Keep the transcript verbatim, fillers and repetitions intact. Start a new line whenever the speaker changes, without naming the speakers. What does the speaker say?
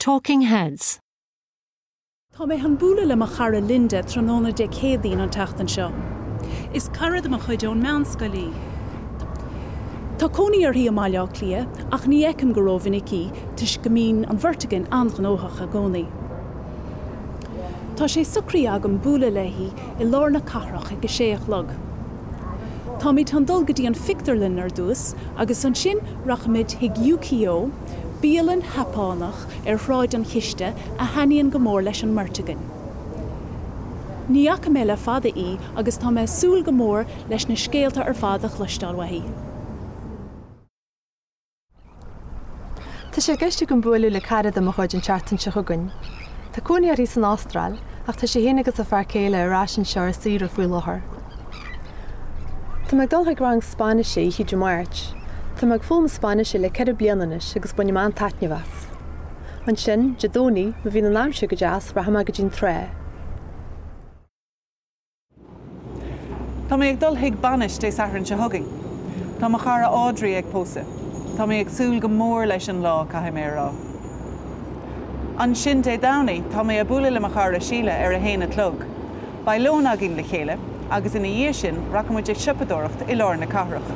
Talking Heads.
Tá mé chun bualadh le mo chara Linda tráthnóna Dé Céadaoin an tseachtain seo. Is cara de mo chuid ón meánscoil í. Tá cónaí uirthi i mBaile Átha Cliath ach ní fheicim go rómhinic í toisc go mbíonn an bheirt againn an-ghnóthach i gcónaí. Tá sé socraithe agam bualadh léi i lár na cathrach ag a sé a chlog. Táimid chun dul go dtí an phictiúrlann ar dtús agus ansin rachaimid chuig Yukio, bialann Sheapánach ar Shráid an Chiste a thaitníonn go mór leis an mbeirt againn. Ní fhaca mé le fada í agus tá mé ag súil go mór leis na scéalta ar fad a chloisteáil uaithi.
Tá sé i gceist agam bualadh le cara de mo chuid an tseachtain seo chugainn. Tá cónaí uirthi san Astráil ach tá sí féin agus a fear céile ar ais anseo ar saoire faoi láthair. Tá mé ag dul chuig rang Spáinnise oíche Dé Máirt. Tá mé ag foghlaim Spáinnise le ceithre bliana anois agus bainim an-taitneamh as. Ansin, Dé Domhnaigh, má bhíonn an aimsir go deas rachaidh mé go dtí an trá.
Tá mé ag dul chuig bainis Dé Sathairn seo chugainn. Tá mo chara Audrey ag pósadh. Tá mé ag súil go mór leis an lá caithfidh mé a rá. Ansin Dé Domhnaigh tá mé ag bualadh le mo chara Síle ar a haon a chlog. Beidh lón againn le chéile, agus ina dhiaidh sin rachaimid ag siopadóireacht i lár na cathrach.